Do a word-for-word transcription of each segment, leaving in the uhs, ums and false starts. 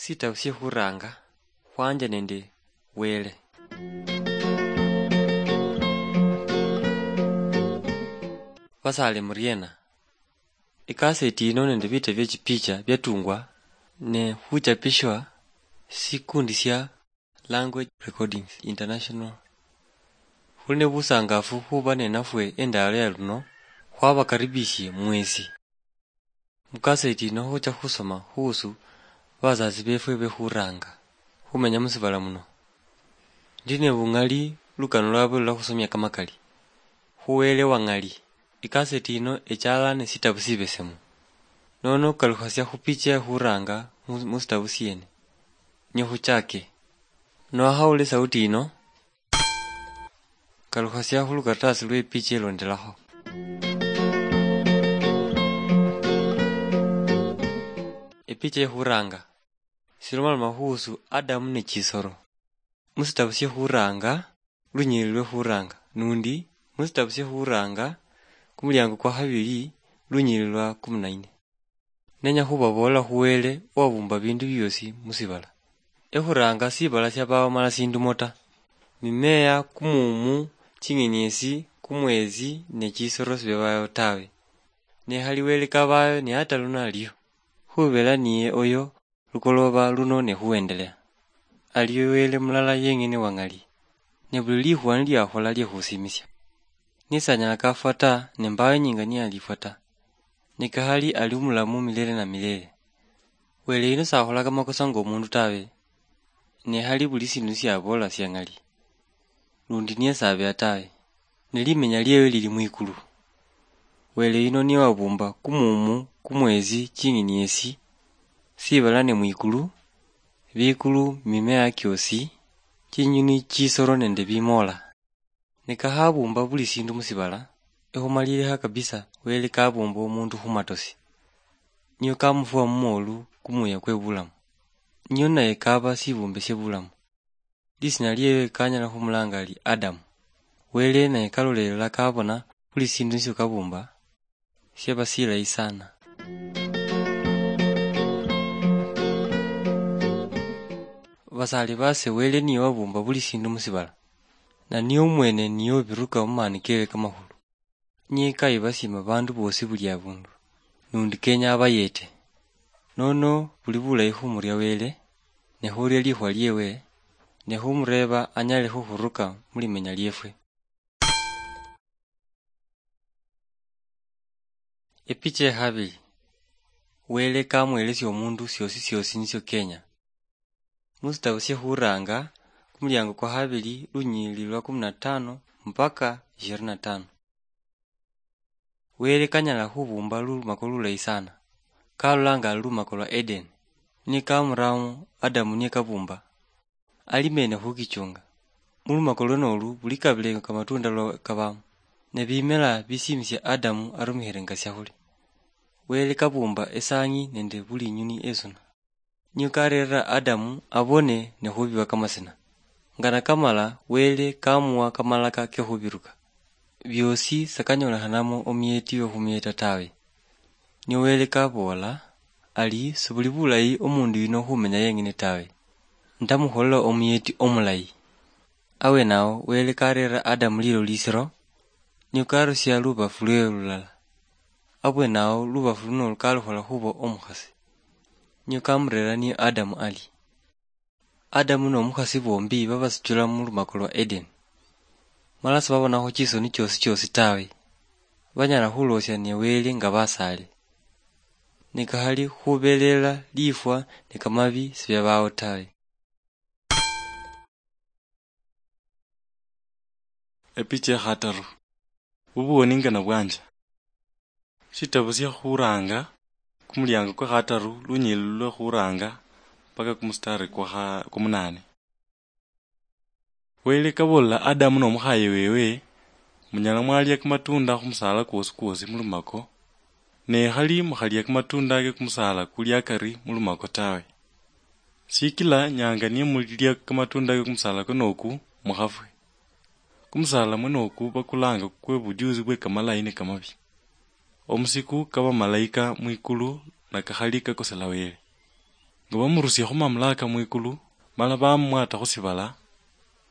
Sitabu sye khuranga khwanje nende Wele. Basale muriena? Ikaseti yino nende bita bye chipicha byatungwa ne khuchapishwa sikundi sya Language Recordings International. Khuli ne busangafu khuba nenafwe endalo ya luno, khwabakaribishie mwesi. Mukaseti yino khucha khusoma khuhusu bazazi befwe bekhuranga khumenya musibala muno. Ndi ne bung'ali lukano lwabwe lulakhusomia kamakali. Khu Wele wang'ali, ikaseti yino echala ne sitabu sibesemu. Nono kalukhasia khu picha ekhuranga mu, mu sitabu siene. Nyo khuchake. Nowakhawula esauti yino, kalukhasia khu lukaratasi lwe picha elondelakho. Epicha ekhuranga. Silomaloma khuhusu Adamu ne chisoro. Mu sitabu sye khuranga, lunyiriri lwe khuranga, nundi mu sitabu sye khuranga, kumuliango kwa khabili, lunyiriri lwa kumi na nne. Nenya khubabool'la khu Wele owabumba bindu biosi mu sibala. Ekhuranga sibala siabawo mala sindumo ta. Mimea, kumumu, ching'eniesi, kumwesi, ne chisoro sibiabawo tawe. Ne khali Wele kabayo ne ata luno aliyo. Khubela niye oyo lukoloba luno ne khuendelea. Aliyo Wele mulala yeng'ene wang'ali, ne buli likhuwa niliakhola liekhusimisia. Nisanyala kafwa ta, ne mbayo inyinga niyalifwa ta. Ne kakhali ali umulamu milele na milele. Wele yuno sakhola kamakosa ng'omundu tawe, ne khali buli sindu siaboola siang'ali. Lundi niye sabeha tawe, ne limenya liewe lili mwikulu. Wele yuno niye wabumba kumumu, kumwesi, ching'eniesi, sibala ne mwikulu, bikulu, mimea kiosi, chinyuni, chisoro nende bimoola. Ne kakhabumba buli sindu musibala, ekhumalilikha kabisa Wele kabumba omundu khumatosi. Niyo kamufua mumoolu kumuya kwe bulamu. Niyo naye kaba sibumbe sie bulamu. Lisina liewe kanyala khumulanga ari Adamu. Wele naye kalolelela kabona buli sindu nisio kabumba, siaba silayi sana. Basali base, Wele niye wabumba buli sindu musibala, na niye omwene niye obiruka mumaani kewe kamakhulu. Niye kayibasiima bandu boosi buli abundu, nundi kenya abayete. Nono buli bulayi khumuria Wele, ne khuria likhuwa liewe, ne khumureeba anyale khukhuruka mulimenya liefwe. Epicha ekhabili. Wele kamwelesia omundu siosi siosi nisio kenya. Musitabu sie khuranga, kumuliango kwa khabili, lunyilili lwa kumi na tano mpaka ishirini na tano. Wele kanyala khubumba lumako lulayi sana. Kalolanga lumako lwa Eden. Nikamuramo Adamu niye kabumba. Ali mene khukichunga. Mulumako lwenolu buli kabile kamatunda lwa kabamo. Ne bimela bisimisia Adamu arumikhile nga siakhulya. Wele kabumba esang'i nende buli inyuni esuna. Niyo karerera Adamu abone ne khubiwa kamasina. Nga nakamala, Wele kamuwa kamalaka ke khubiruka. Biosi sakanyolekhanamo omuyeti we khumuyeta tawe. Niyo Wele kaboola ari, "Sibuli bulayi omundu yuno khumenya yeng'ene tawe. Ndamukholela omuyeti omulayi." Awenao, Wele karerera Adamu lilo lisiro, niyo karusia lubafu lwewe lulala. Abwenao, lubafu luno kalukhola khuba omukhasi. Niyo kamurera niye Adamu ali. Adamu nomukhasi bombi babasichula mulumako lwa Eden. Mala sibabonakho chisoni chiosi chiosi tawe. Banyala khuloosia ne Wele nga basaale. Ne kakhali khubelela lifwa ne kamabi sibiabawo tawe. Epicha ekhataru. Bubuwoni nga nabwanja. Shitabu shia khuranga, kumuliango kwa khataru, lunyilili lwe khuranga, mpaka kumustari kwa kha-, kumunane. Wele kabolela Adamu nomukhaye wewe, "Munyala mwalia kamatunda khumusala kwosi kwosi mulumako, ne khali mukhalia kamatunda ke kumusala kuli akari mulumako tawe. Sikila nyanga nimulia kamatunda ke kumusala kuno oku, mukhafwe." Kumusala mwene oku bakulanga kwe bujuzi bwe kamalayi ne kamabi. Omusiku ka bamalaika mwikulu na kakhali kakosela Wele. nga bamurusia khu mamulaka mwikulu, mala bamumwata khu sibala,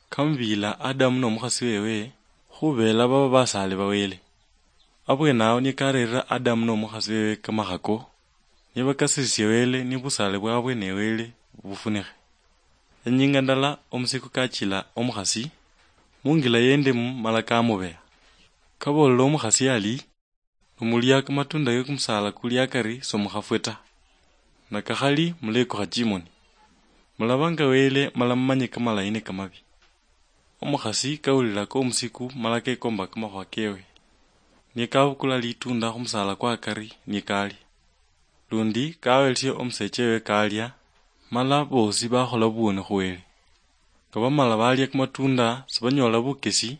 kamubila Adamu nomukhasi wewe, khubela baba basaale ba Wele. Abwenawo niye karerera Adamu nomukhasi wewe kamakhako, nibakasirisia Wele ni busaale bwabwe ne Wele bufunikhe. Enyinga ndala omusiku kachila omukhasi, mungila yendemu mala kamubeya. Kabolela omukhasi ali, "Nomulia kamatunda ke kumusaala kuli akari somukhafwe ta, na kakhali mulekukha chimoni. Mulaba nga Wele mala mumanye kamalayi ne kamabi." Omukhasi kawulila komusiku mala kekomba kamakhuwa kewe, niye kabukula litunda khumusaala kwa akari niye kalia. Lundi kawelesia omusecha wewe kalia, mala bosi bakhola buwoni khu Wele. Nga bamala balia kamatunda, sibanyola bukesi,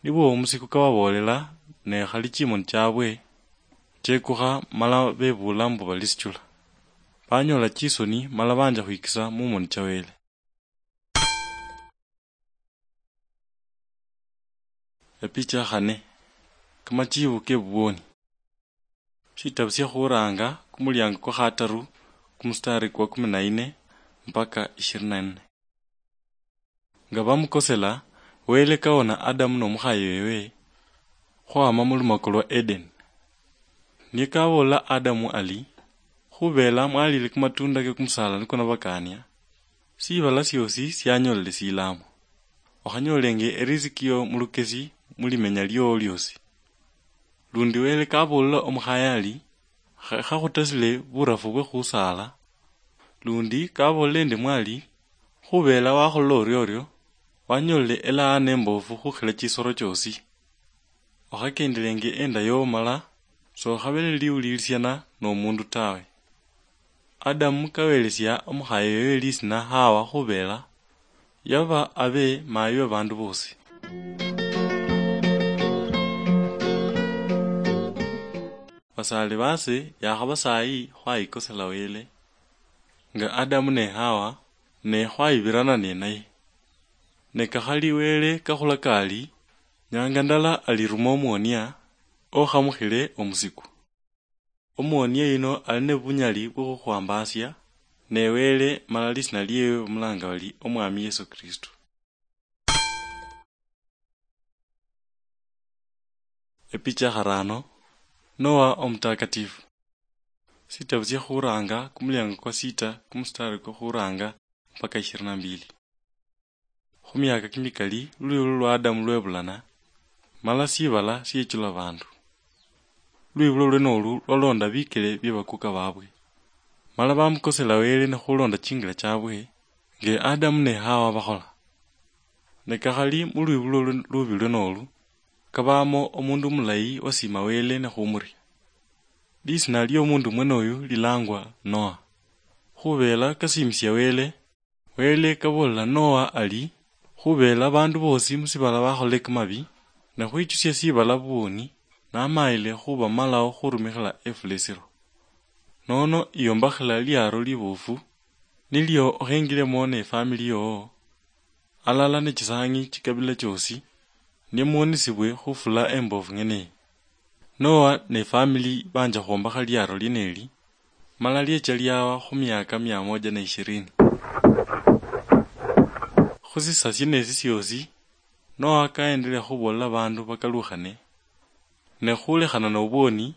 nibwo omusiku kababolela, ne khali chimoni chabwe chekukha mala bebuula mbu balisichula. Banyola chisoni mala banja khwikisa mumoni cha Wele. Epicha ya khane. Kamachibu ke buwoni. Shitabu shia Khuranga, kumuliango kwa khataru, kumustari kwa kumi na nne mpaka ishirini na nne. Nga bamukosela, Wele kawona Adamu nomukhaye wewe khwama mulumako lwa Eden. Niye kabolela Adamu ali, "Khubela mwalile kumatunda ke kumusala niko nabakania, sibala siosi sianyolele silamo. Okhanyolenge eriziki yo mulukesi mulimenya liowo liosi." Lundi Wele kabolela omukhaye ali, "Kha-, khakhutasile burafu bwe khusaala." Lundi kabolela endemu ali, "Khubela wakholela oriorio, wanyolile elaana emboofu khukhila chisoro chiosi. Okhakendelenge enda yowo mala sokhabe neliwulilisiana nomundu tawe." Adamu kawelesia omukhaye wewe lisina Hawa khubela yaba abe mayi we bandu bosi. Basaali base yakhaba sayi khwayikosela Wele, nga Adamu ne Hawa, ne khwayibirana nenaye. Ne kakhali Wele kakhula kali, nyanga ndala aliruma omuonia okhamukhile omusiku. Omuonia yuno ali ne bunyali bwokhukhwambasia, ne Wele mala lisina liewe bamulanga bali Omwami Yesu Kristo. Epicha ya kharano, Noa omutakatifu. Sitabu sia Khuranga, kumuliango kwa sita, kumustari kwa khuranga mpaka ishirini na mbili. Khumiaka kimikali, lwibulo lwa Adamu lwebulana, mala sibala siechula bandu. Lwibulo lwenolu lwalonda bikele bie bakuka babwe. Mala bamukosela Wele ne khulonda chingila chabwe, nge Adamu ne Hawa bakhola. Ne kakhali mulwibulo lwe-, lubi lwenolu, kabamo omundu omulayi wasiima Wele ne khumuria. Lisina liomundu mwenoyu lilangwa Noa. Khubela kasiimisia Wele, Wele kabolela Noa ali, "Khubela bandu bosi musibala bakholile kamabi, ne khwichusia sibala buwoni, namayile khubamalawo khurumikhila efula esiro. Nono iyombakhila liaro libofu, nilio okhengilemo ne famili yowo, alala ne chisangi chikabila chiosi, ne muonisibwe khufula embofu ng'eneyi." Noa ne famili banja khwombakha liaro lieneli, mala liecha liawa khumiaka mia moja na ishirini. Khusisa sienesi siosi, Noa kaendelea khubolela bandu bakalukhane, ne khulekhana nobwoni,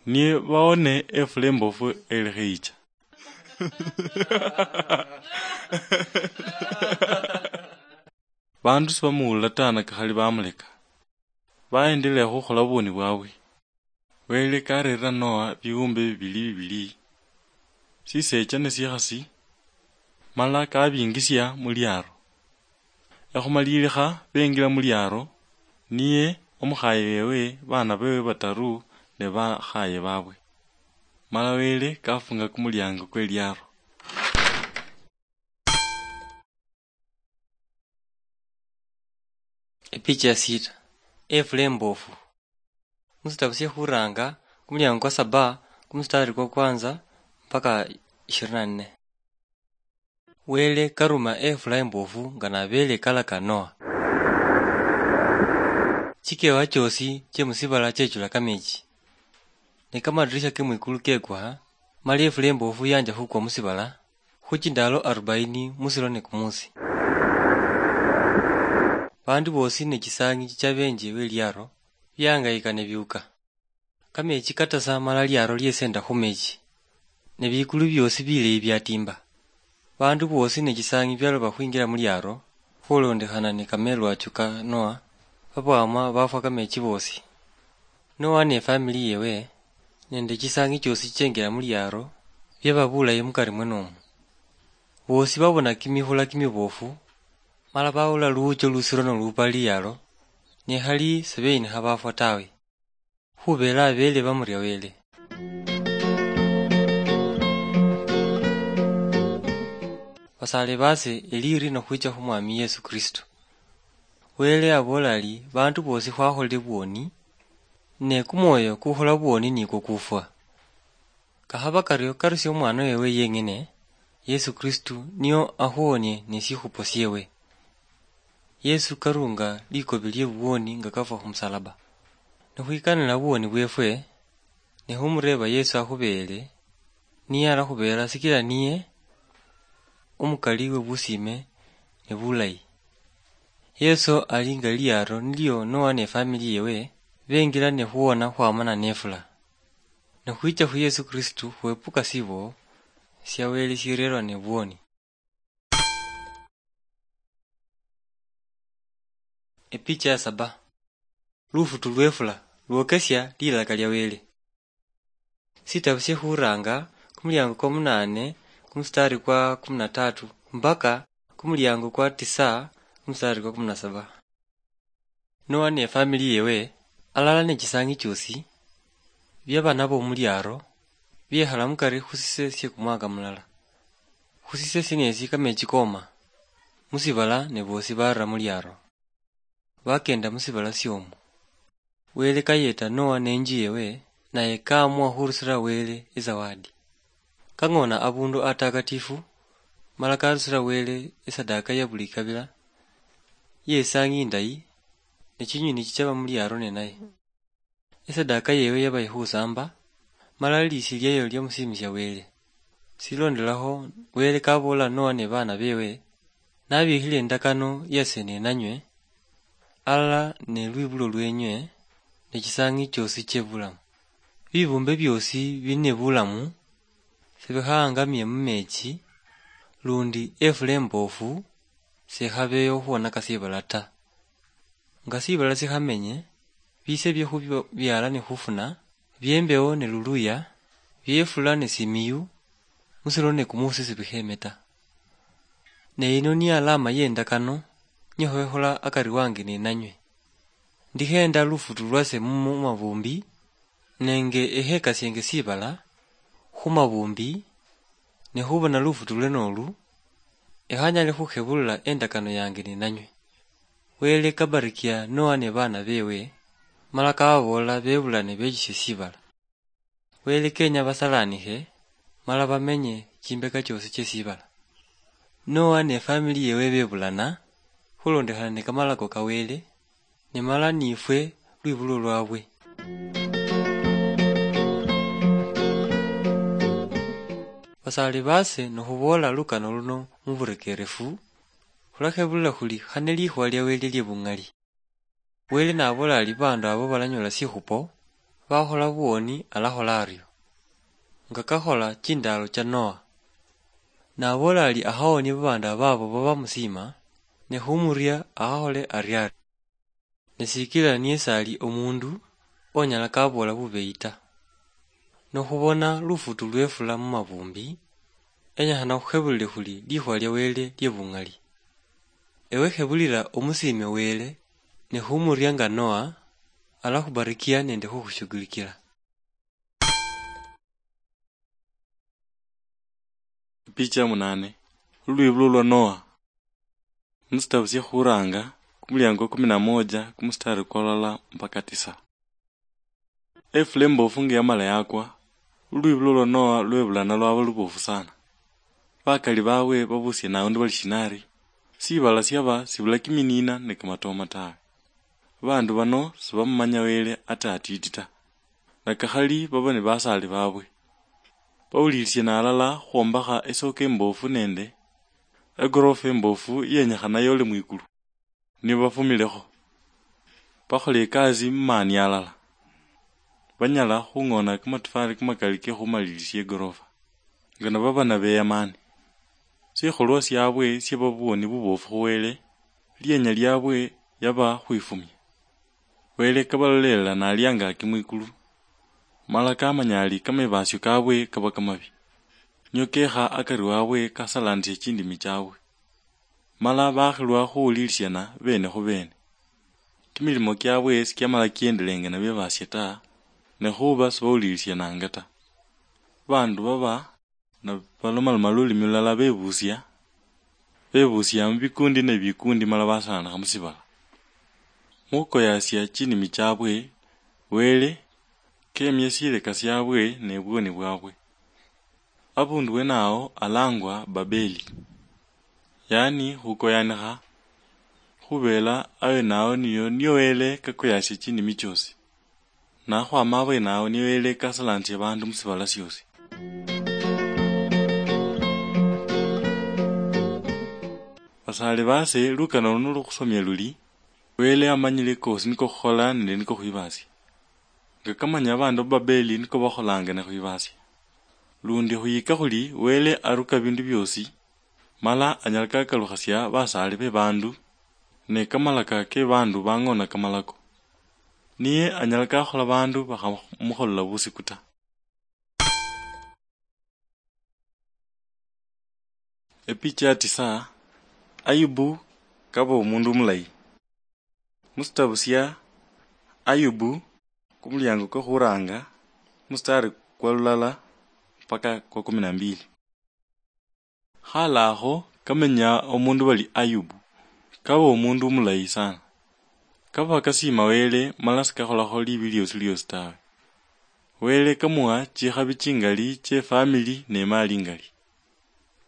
niye baone efula embofu elekhe yicha. Bandu sibamuwulila ta, nakakhali bamuleka. Baendelea khukhola buboni bwabwe. Wele karerera Noa biwumbe bibili bibili, sisecha ne sikhasi, mala kabingisia muliaro. Ekhumalilikha bengila muliaro, niye, omukhaye wewe, bana bewe bataru ne bakhaye babwe. Mala Wele kafunga kumuliango kwe liaro. Epicha ya sita. Efula embofu. Musitabu sie Khuranga, kumuliango kwa saba, kumustari kwa kwanza mpaka ishirini na nne. Wele karuma efula embofu nga nabele kalaka Noa. Chikewa chiosi chie musibala chechula kamechi. Ne kamadirisha ke mwikulu kekwa, mala efula embofu yanja khukwa musibala, Khuchindaalo arubaini musiro ne kumusi, vandu voosi ne chisangi chichavenje ve liaro viahangayika ne viuka. Kamechi katasa mala liaro liesenda khumechi, ne vikulu viosi vileyi viatimba. Vandu voosi ne chisangi vialova khwingira mu liaro, khulondekhana ne kamelwacho ka Noa, vavwama vafwa kamechi voosi. Noa ne famili yewe, nende chisangi chiosi chichengira mu liaro, viava vulayi mukari mwenomo. Voosi vavona kimihula kimivofu, mala vawula luwucho lusiro nolupa liaro, ne khali siveyinikha vafwa tawe, khuvela avele vamuria Wele. Vasale vase, eliri nokhwicha khu Mwami Yesu Kristo. Wele avola ali, vandu voosi khwakholile vwoni, ne kumwoyo kukhola vwoni nikwo kufwa. Kakhava kario, karusia omwana wewe yeng'ene, Yesu Kristu, nio akhuhonie ne shikhupo shiewe. Yesu karunga likobi lie vuwoni nga kafwa khumusalaba. Nikhwikanila vuwoni vwefwe, ne khumureva Yesu akhubeele, niye alakhubela, sikila niye omukali we busime ne bulayi. Yesu ali nga liaro nilio Noa ne famili yewe bengila ne khuwona khwamana nefula. Nikhwicha khu Yesu Kristu khwepuka sibo sia Wele sirerwa ne vuwoni. Epicha ya saba. Lufutu lwefula lwokesia lilaka lia Wele. Sitabu sie Khuranga, kumuliango kwa munane, kumustari kwa kumi na tatu, mpaka kumuliango kwa tisa, kumustari kwa kumi na saba. Noa ne famili yewe, alala ne chisangi chiosi, bia bana bomuliaro, biekhala mukari khu sise sie kumwaka mulala. Khu sise sienesi kamechi koma, musibala ne bosi barira muliaro. Bakenda musibala siomu. Wele kayeta Noa ne inju yewe, naye kaamua khurusira Wele izawadi. Kang'ona abundu atakatifu, mala karusira Wele isadaka ya buli ikabila, ye isangi indayi, ne chinywi nichichaba muliaro nenaye. Isadaka yewe yaba ikhusamba, mala lisi liayo liamusimisia Wele. Silondelakho, Wele kabola Noa ne bana bewe, nabikhile indakano yase nenanywe, alala ne lwibulo lwenywe, ne chisangi chiosi chie bulamu. Bibumbe biosi bili ne bulamu, sebikhaangamie mumechi, lundi efula emboofu sekhabeyo khuonaka sibala ta. Nga sibala sikhamenye, bise bie khubiala ne khufuna, biembewo ne luluya, biefula ne simiyu, musiro ne kumusi sibikheme ta. Ne yino ni alama ye indakano, nyekhoekhola akari wange nenanywe. Ndikhenda lufutu lwase mu mavumbi, nenge ekhekasienge sibala khu mavumbi, ne khubona lufutu lwenolu, ekhanyale khukhebulula endakano yange ninanywe. Wele kabarikia Noa ne bana bewe, mala kababool'la bebulane bechishe sibala. Wele kenya basalanikhe, mala bamenye chimbeka chiosi chie sibala. Noa ne famili yewe bebulana, khulondekhana ne kamalako ka Wele, ne mala nifwe lwibulo lwabwe. Basali base, nikhuboola lukano luno muburekerefu, khulakhebulila khuli khane likhuwa lia Wele lie bung'ali. Wele nabola ali bandu abo balanyola shikhupo, bakhola buwoni alakhola ario, nga kakhola chindaalo cha Noa. Nabola ali akhawonie babandu ababo baba musima, ne khumuria akhakhole ariario. Ne sikila niye sali omundu onyala kaboola bubeyi ta. Nokhubona lufutu lwefula mumabumbi, enyekhana khukhebulile khuli likhuwa lia Wele lie bung'ali. Ewe khebulila omusiime Wele, ne khumuria nga Noa, alakhubarikia nende khukhushugulikila. Picha ya munane. Lulwibulo lwa Noa. Musitabu sya Khuranga, kumuliango kumi na moja, kumustari kwa lala mpaka tisa. Efula embofu nga yamala yakwa, lulwibulo lwa Noa lwebulana lwaba lubofu sana. Bakali babwe babusia naundi bali shinari, sibala syaba sibula kiminiina ne kamatooma tawe. Babandu bano sibamumanya Wele ata atiti ta, nakakhali baba ni basaali babwe. Bawulilisiana alala khwombakha esoko emboofu nende egorofa emboofu yenyekhana yole mwikulu. Nibafumilekho, bakhola ekasi mumaani alala, banyala khung'ona kamatofali kamakali ke khumalilisia igorofa, nga nababa nabeyamani. Sikholwa siabwe siaba buwoni buboofu khu Wele, lienya liabwe yaba khwifumia. Wele kabalolelela nali angaki mwikulu, mala kamanya ali kamebasio kabwe kaba kamabi, nio kekha akari wabwe kasalanisia chindimi chiabwe. Mala bakhilwa khuwulilisiana bene khu bene. Kimilimo kiabwe sikiamala kiendelenge nabyo basie ta, ne khuba sibawulilisiananga ta. Bandu baba nabalomaloma lulimi lulala bebusia, bebusia mubikundi ne bikundi mala basalanakha musibala. Mukhukoyasia chinimi chiabwe, Wele kemia sileka siabwe ne bwoni bwabwe. Abundu wenawo alangwa Babeli, yaani khukoyanikha, khubela awenawo niyo, niyo Wele kakoyasia chinimi chiosi. Nakhwama abwenawo niyo Wele kasalansia bandu musibala siosi. Basale base, lukano luno lukhusomia luli, Wele amanyile kosi niko khukhola nende niko khwibasia. Nga kamanya abandu ba Babeli niko bakholanga ne khwibasia. Lundi khuyika khuli Wele aruka bindu biosi, mala anyala kakalukhasia basale be bandu, ne kamalaka ke bandu bang'ona kamalako. Niye anyala kakhola bandu bakhamukholela busiku ta. Epicha ya tisa, Ayubu kaba omundu omulayi. Musitabu sia Ayubu, kumuliango kwe khuranga, mustari kwa lulala mpaka kwa kumi na mbili. Khalakho kamenya omundu bali Ayubu, kaba omundu omulayi sana. Kaba kasiima Wele, mala sikakholakho libi liosi liosi tawe. Wele kamuha chikhabi chingali chie family ne mali ingali.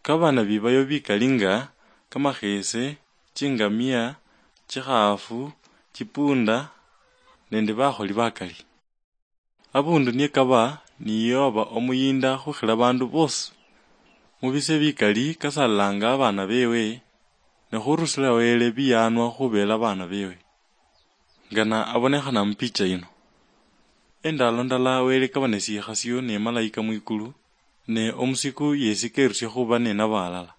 Kaba nabibayo bikali nga kamakhese, chingamia, chikhaafu, chipunda, nende bakholi bakali. Abundu niye kaba niye waba omuyinda khukhila bandu bosi. Mubise bikali kasalanga abana bewe, ne khurusila Wele biyanwa khubela abana bewe. Ngana abonekhana mupicha yino. Endalo ndala Wele kaba nesikhasio ne malaika mwikulu, ne omusiku yesi kerusia khuba nenabo alala.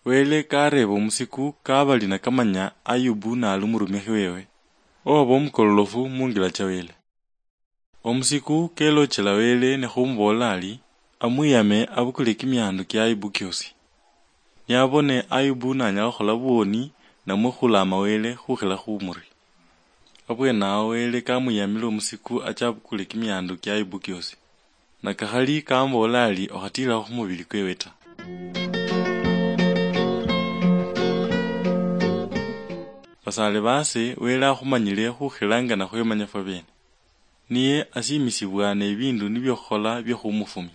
Wele kareeba omusiku kabali nakamanya Ayubu nali omurumikhi wewe, owaba omukololofu mungila cha Wele. Omusiku kelochela Wele ne khumuboolela ari, amwiyame abukule kimiandu kia Ayubu kiosi. Niabone Ayubu nanyala khukhola buwoni namwe khulaama Wele khukhila khumuri. Abwenawo Wele kamwiyamile omusiku acha abukule kimiandu kia Ayubu kiosi. Nakakhali kamuboolela ari okhatiilakho khumubili kwewe ta. Basaale baase Wele akhumanyile khukhila nga nakhwemanya fwabene. Niye asiimisibwa nebiindu nibyo khukhola byo khumufumia.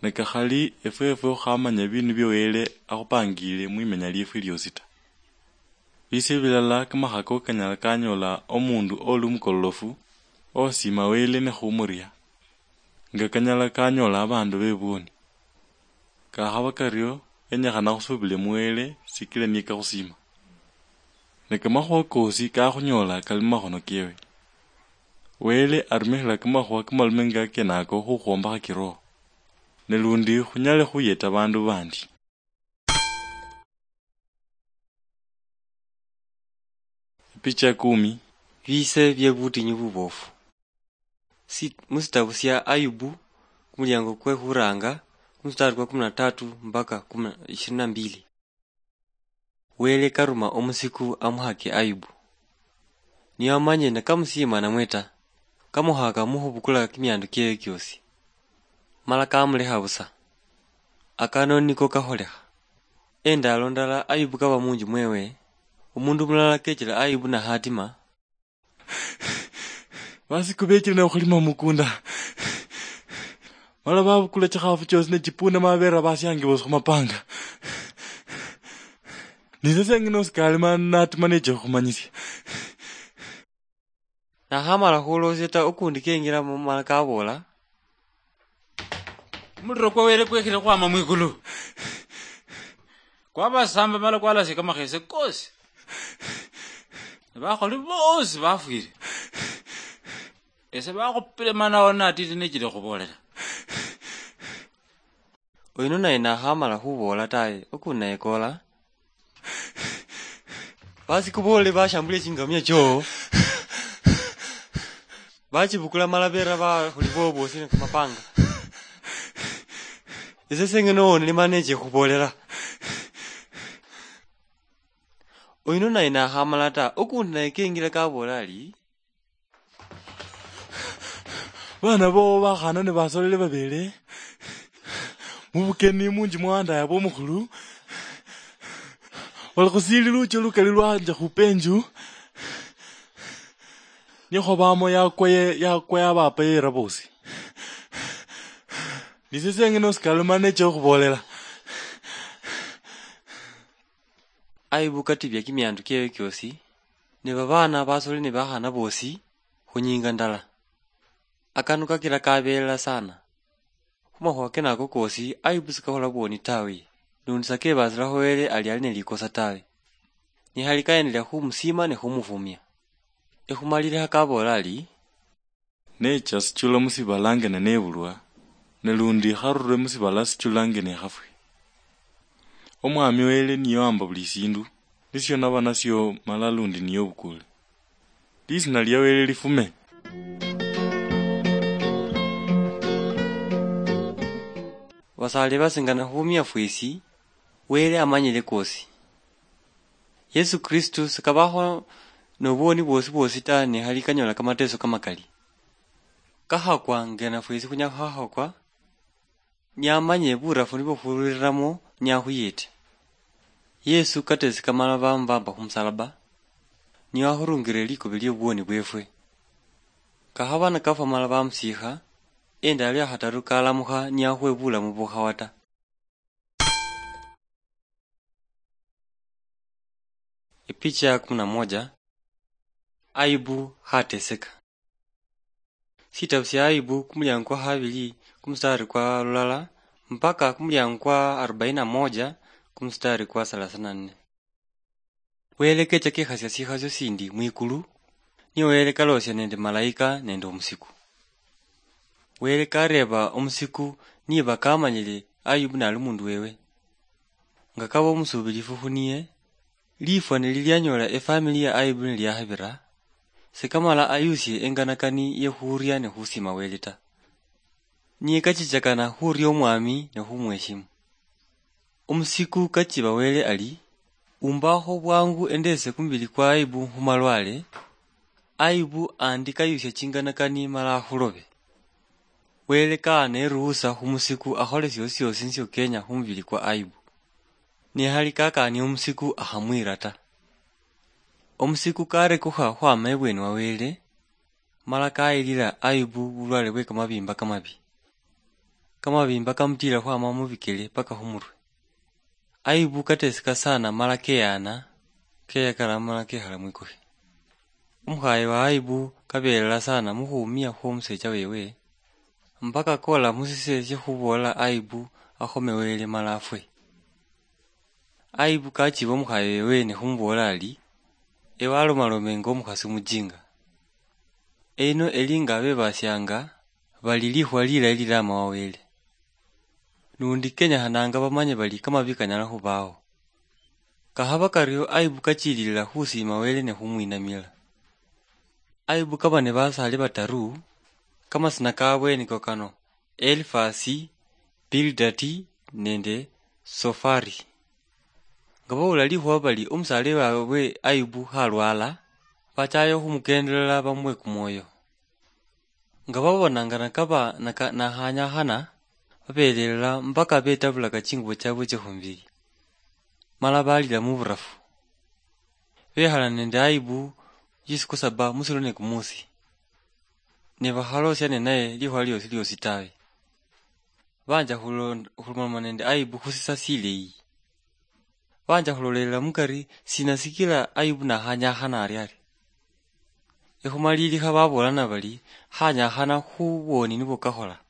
Ne kakhali efweefwe khukhamanya biindu byo Wele akhupangiile mwimenya lyeefwe lyoosi ta. Bise bilala kamakhako kanyala kanyoola omuundu oli omukololofu, osiima Wele ne khumuria, nga kanyala kanyoola abaandu bebwoni. Kakhaba kario, kenyekhana khusuubile mu Wele sikila niye kakhusiima. Ne kamakhuwa koosi kakhunyola kali mumakhono kewe. Wele arumikhila kamakhuwa kamalume nga kenako khukhwombakha kiroho, ne lundi khunyale khuyeta baandu baandi. Picha kumi. Biise bye butinyu bubofu. Si-, musitabu sia Ayubu, kumuliango kwe khuranga, kumustari kwa kumi na tatu mpaka kumi na, ishirini na mbili. Wele karuma omusiku amuhake Ayubu. Niye amanye nikamusiima namwe ta, kamuhaka mukhubukula kimiandu kiewe kiosi. Mala kamulekha busa. Akano niko kakholekha. Endalo ndala Ayubu kaba munju mwewe, omundu mulala kechela Ayubu na hatima, Basiku bechile ne okhulima mumukunda. Mala babukula chikhaafu choosi ne chipunda, mala beera basiange boosi khumapanga. Nise sengene osikale, mala natima neche khukhumanyisia. Nakhamala khuloosia ta, okundi kenjilamo mala kaboola, Omuliro kwa Wele kwekhile khwama mwikulu. Kwabasamba mala kwalasia kamakhese kosi. Ne bakholi bosi bafwile. Ese bakhupile mana ona atiti nechile khubolela. Oyuno naye nakhamala khuboola tawe, ukundi naye koola. Basi kuboole bashambula echingamia choo. Bachibukula mala beera bakholi boo boosi ne kamapanga. Ese sengene owonele mana eche khuboolela. Oyuno naye nakhamala ta, ukundi naye kengila kaboola ari, Baana boowo bakhaana ni basoleli babeele mu bukeni munju mwa wandaaye aba omukhulu, bali khusiili luuchio lukali lwanja khupa enju, nikhwo baamo yakwa ye-, yakwa yabaapa yeera boosi. Nise seeng'ene osikale mani necha okhuboolela. Ayibu katibya kimiandu kyeewe kyoosi, ne babaana basoli ne bakhaana boosi, khu nyinga ndala. Akanu kakila kabeelela saana. Khu makhuwa kenako koosi, Ayibu sikakhola bwoni tawe, lundi sakebasilakho Wele ali ali ne likosa tawe. Nihali kayendelea khumusiima ne khumufumia. Ekhumalilikha kaboola ali, Necha sichula musibala nge nenebulwa, ne lundi ikharure musibala sichula nge nekhafwe. Omwami Wele niye owamba buli sindu, nisio naba nasio mala lundi niye obukule. Lisina lia Wele lifume. Basaale basingana khumia fwesi, Wele amanyile kosi. Yesu Kristu sikabakho nobwoni bwosi bwosi ta, ne khali kanyola kamateso kamakali. Kakhakwa ngena fwesi khunyala khukhakwa, niamanye burafu nibwo khurulilamo niakhuyete. Yesu katesi kamala bamubamba khumusalaba, niye wakhurungile likobi liobwoni bwefwe. Kakhaba nikafwa mala bamusiikha, endalo yakhataru kalamukha niakhuwe bulamu bukhawa ta. Epicha ya kumi na moja. Ayubu khateseka. Sitabu sia Ayubu kumuliango kwa khabili kumustari kwa lulala mpaka kumuliango kwa arobaini na moja kumustari kwa thelathini na nne. Wele kecha kekhasia sikhasio sindi mwikulu, niye Wele kalosia nende malaika nende omusiku. Wele kareeba omusiku niba kamanyile Ayubu nali omundu wewe. Nga kaba omusuubilifu khuniye, lifwa nililianyola efamili ya Ayubu niliakhabira, sikamala ayusie enganakani yekhuria ne khusiima Wele ta. Niye kachichakana khuria Omwami ne khumweshimu. Omusiku kachiba Wele ari, "Umbakho bwangu endese kumubili kwa Ayubu khumalwale, Ayubu andi kayusia chinganakani mala akhulobe." Wele kaana eruhusa khumusiku akhole siosi siosi nisio kenya khumubili kwa Ayubu. Nikhali kakania omusiku akhamwira ta. Omusiku karekukha khwama ebweni wa Wele, mala kayilila Ayubu bulwale bwe kamabimba kamabi. Kamabimba kamutila khwama mubikele paka khumurwe. Ayubu kateseka sana mala keyana, keyakala mala kekhala mwikukhe. Omukhaye wa Ayubu kabelela sana mukhumia khwomusecha wewe, mpaka kola musise syekhuboola Ayubu akhome Wele mala afwe. Ayubu kachiba omukhaye wewe ne khumuboola ari, "Ewe walomalome nga omukhasi omujinga." Eyino eli nga abebasianga bali likhuwa lilayi lilama wa Wele. Lundi kenyakhananga bamanye bali kamabi kanyala khubaho. Kakhaba kario Ayubu kachililila khusiima Wele ne khumwinamila. Ayubu kaba ne basaali bataru, kamasina kabwe niko kano, Elifasi, Bilidadi, nende Sofari. Nga bawula likhuwa bali omusaale wabwe Ayubu khalwala, bachayo khumukendelela bamuwe kumwoyo. Nga babona nga nakaba naka-, nakhanyakhana, babelelela mpaka betabulaka chingubo chabwe chekhumubili, mala balila muburafu. Bekhala nende Ayubu chisiku saba musilo ne kumusi, ne bakhalosia ninaye likhuwa liosi liosi tawe. Banja khulo-, khulomaloma nende Ayubu khusisa sileyi. Banja khulolelela mukari sina sikila Ayubu nakhanyakhana ari ari. Ekhumalilikha babolana bali, "Khanyakhana khu bwoni nibwo kakhola."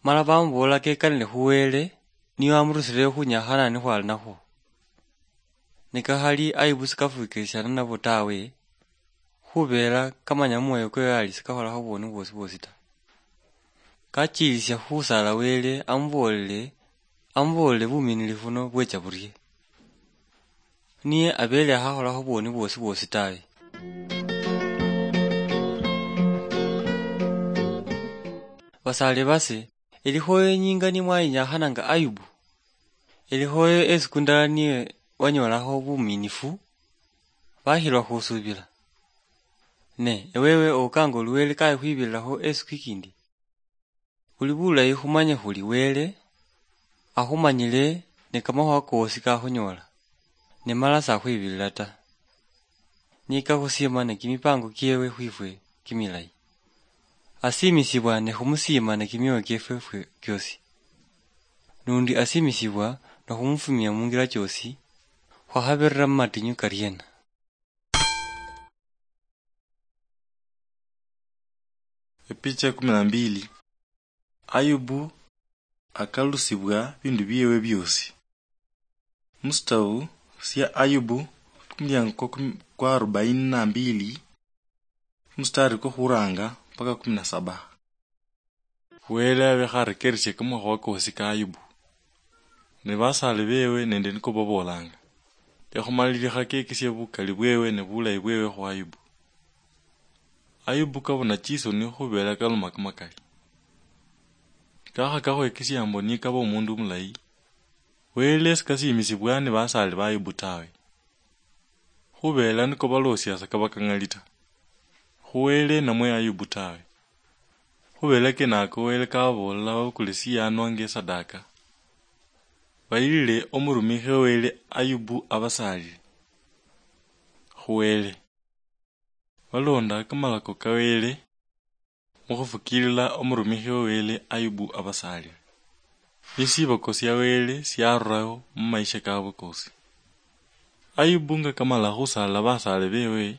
Mala bamubool'la kekanile khu Wele, niye wamurusileyo khunyakhana nikhwali nakhwo. Ne kakhali Ayubu sikafwikirisiana nabo tawe, khubeela kamanya mumwoyo kwewe ali sikakholakho bwoni bwosi bwosi ta. Kachiilisia khusaala Wele amuboolele, amuboolele buminilifu buno bwecha burie. Niye abeele akhakholakho bwoni bwosi bwosi tawe. Basaale base, elikhoyo inyinga ni mwayinyakhana nga Ayubu? Elikhoyo esiku ndala niye wanyoolakho buminifu, bakhilwa khusuubila. Ne ewewe okanga oluwele kaye khwibililakho esiku ikindi? Khuli bulayi khumanye khuli Wele akhumanyile ne kamakhuwa koosi kakhunyola, ne mala sakhwibilila ta. Niye kakhusiima ne kimipango kiewe khwifwe kimilayi. Asiimisibwa ne khumusiima ne kimioyo kiefwe fwe kiosi. Nundi asiimisibwa ne khumufumia mungira choosi, khwakhabirira mumatinyu kariena. Epicha ya kumi na mbili. Ayubu akalusibwa bindu biewe biosi. Musitabu sia Ayubu, kumuliango kwa kumi, kwa arobaini na mbili, mustari kwa khuranga mpaka kumi na saba. Wele abe kharekeresie kamakhuwa koosi ka Ayubu, ne basaale bewe nende niko baboolanga. Ekhumalilikha kekisia bukali bwewe ne bulayi bwewe khu Ayubu. Ayubu kabona chisoni khubela kaloma kamakali. Kakha kakhwekisia mbo nikaba omundu omulayi, Wele sikasiimisibwa ni basaale ba Ayubu tawe. Khubela niko baloosia sa kaba kang'ali ta, khu Wele namwe Ayubu tawe. Khubela kenako Wele kababool'la babukule siyanwa nge sadaka, bayilile omurumikhi wa Wele Ayubu abasaalile khu Wele. Balonda kamalako ka Wele mukhufukilila omurumikhi wa Wele Ayubu abasaalile. Ni siboko sia Wele siarurayo mu maisha kabwe kosi. Ayubu nga kamala khusaala basaale bewe,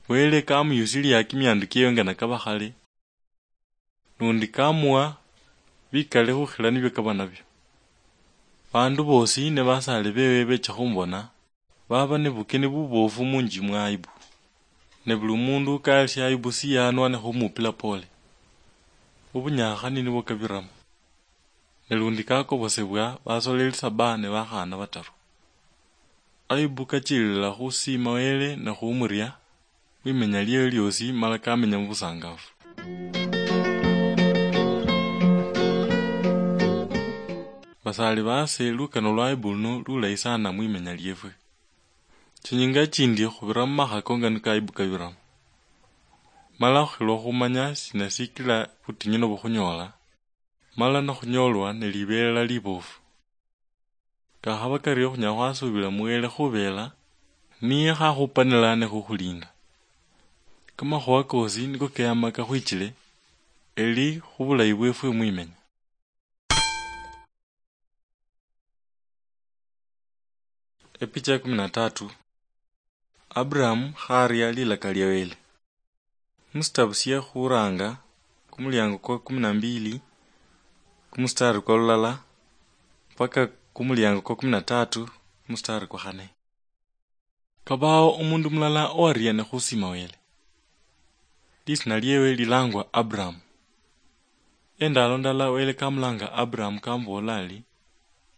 Wele kamuyusilia kimiandu kiewe nga nakaba khale, nundi kamuwa bikali khukhila nibio kaba nabio. Bandu bosi ne basaale bewe becha khumubona, baba ne bukeni bubofu munji mwa Ayubu. Ne buli mundu kayalisia Ayubu siyanwa ne khumupila pole. Obunyakhani nibwo kabiramo. Ne lundi kakobosebwa basoleli saba ne bakhaana bataru. Ayubu kachililila khusiima Wele ne khumuria mwimenya liewe liosi mala kamenya mubusangafu. Basaali baase, lukano lwa Ayubu luno lulayi sana mwimenya liefwe. Chinyinga chindi khubira mumakha konga niko Ayubu kabiramo. Mala khukhilwa khumanya sina sikila butinyu nobukhunyola, mala nakhunyolwa ne libelela libofu. Kakhaba kario khunyala khwasuubila mu Wele khubela niye khakhupanila ne khukhulinda. Kamakhuwa kosi niko keyama kakhwichile, eli khubulayi bwefwe mwimenya. Epicha ya kumi na tatu. Abraham kharia lilaka lia Wele. Musitabu sie khuranga, kumuliango kwa kumi na mbili, kumustari kwa lulala, mpaka kumuliango kwa kumi na tatu, kumustari kwa khane. Kabawo omundu mulala owaria ne khusima Wele. Lisina liewe lilangwa Abraham. Endalo ndala Wele kamulanga Abraham kamubola ali,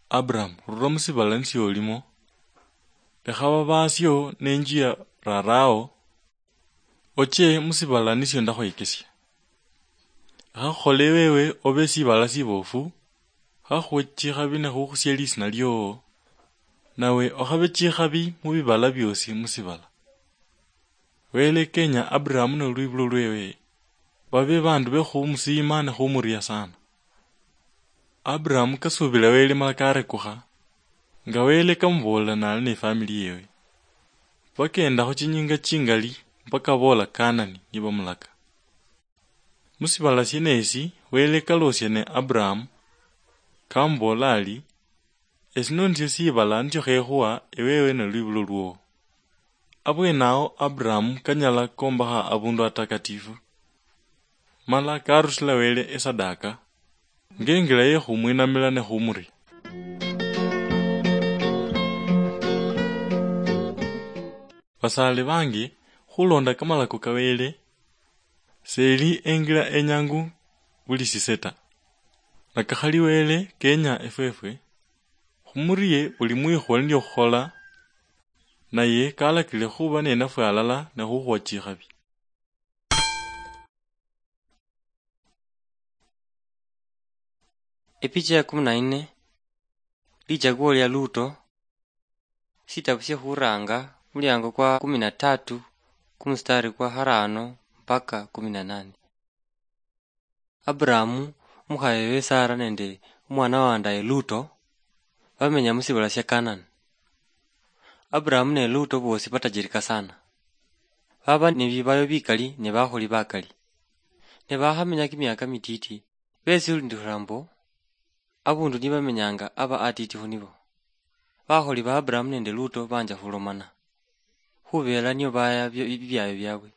"Abraham, rura musibala nisio olimo. Lekha babasio nenjia rarawo, oche musibala nisio ndakhwekesia. Lekha khukhole ewewe obe esibala sibofu, khakhuwe chikhabi ne khukhusia lisina liowo, nawe okhabe chikhabi mubibala biosi musibala." Wele kenya Abraham nolwibulo lwewe babe bandu be khumusiima ne khumuria sana. Abraham kasubila Wele mala karekukha, nga Wele kamubolela nali ne famili yewe. Bakendakho chinyinga chingali mpaka bola Kanani nibamulaka. Musibala sienesi Wele kalosia ne Abraham, kamubola ali, "Esino nisio sibala nisio khekhuwa ewewe nolwibulo lwowo." Abwenawo Abraham kanyala kombakha abundu atakatifu, mala karusila Wele esadaka, Ngengila ye khumwinamila ne khumuria. Basale bangi, khulonda kamalako ka Wele, seli engila enyangu buli sise ta. Nakakhali Wele kenya efwefwe khumurie buli mwikhwa nilio khukhola, naye kalakile khuba nenafwe alala ne khukhuwa chikhabi. Epicha ya kumi na nne, lichaguo lya Luto, sitabu sya Khuranga, muliango kwa kumi na tatu, kumustari kwa harano mpaka kumi na nane. Abrahamu, omukhaye wewe Sara nende omwana wandaye Luto, bamenya musibala sya Kanani. Abrahamu ne Luto bosi batajirika sana. Baba ne bibayo bikali ne bakholi bakali. Ne bakhamenya kimiaka mititi, besilindikhala mbo, abundu nibamenyanga aba atiti khunibo. Bakholi ba Abrahamu nende Luto banja khulomana, khubela nio baya bi-, bibyayo byabwe.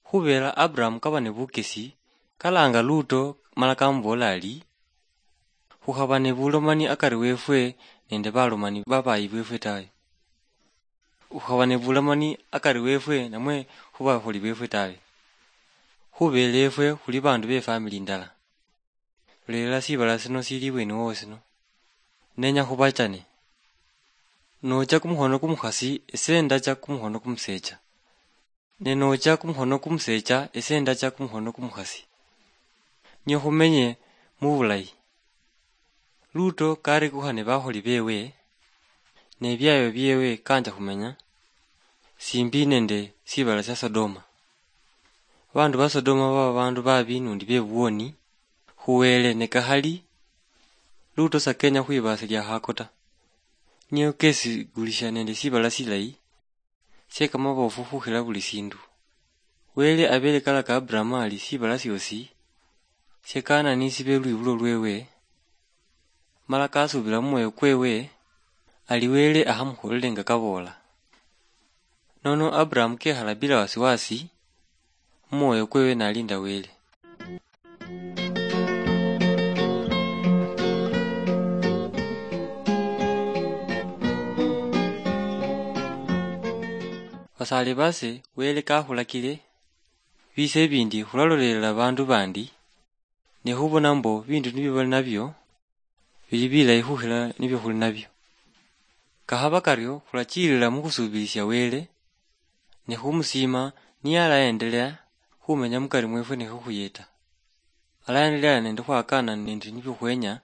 Khubela Abrahamu kaba ne bukesi, kalanga Luto mala kamubola ari, "Khukhaba ne bulomani akari wefwe nende balomani babayi befwe tawe. Khukhaba ne bulomani akari wefwe namwe khubakholi befwe tawe. Khubela efwe khuli bandu be family ndala. Lolela sibala sino sili ibweni wowo sino. Nenya khubachane. Nocha kumukhono kumukhasi, ese ndacha kumukhono kumusecha. Ne nocha kumukhono kumusecha, ese ndacha kumukhono kumukhasi. Nio khumenye mubulayi." Luto karikukha ne bakholi bewe, ne biayo biewe kanja khumenya simbi nende sibala sia Sodoma. Bandu ba Sodoma baba bandu babi nundi bebwoni khu Wele, ne kakhali Luto sakenya khwibasilia khako ta. Nio kesigulisha nende sibala silayi, sie kamabofu khukhila buli sindu. Wele abele kalaka Abrahamu ali sibala siosi sie Kanani sibe lwibulo lwewe, mala kasubila mumwoyo kwewe ali Wele akhamukholele nga kaboola. Nono Abrahamu kekhala bila wasiwasi mumwoyo kwewe nalinda Wele. Basale base, Wele kakhulakile, bise bindi khulalolelela bandu bandi, ne khubona mbo bindu nibio bali nabio bili bilayi khukhila nibio khuli nabio. Kakhaba kario, khulachilila mukhusubilisia Wele, ne khumusiima niyalaendelea khumenya mukari mwefwe ne khukhuyeta. Alaendelea nende khwakana nende nibio khwenya,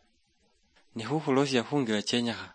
ne khukhulosia khungira chenyekha.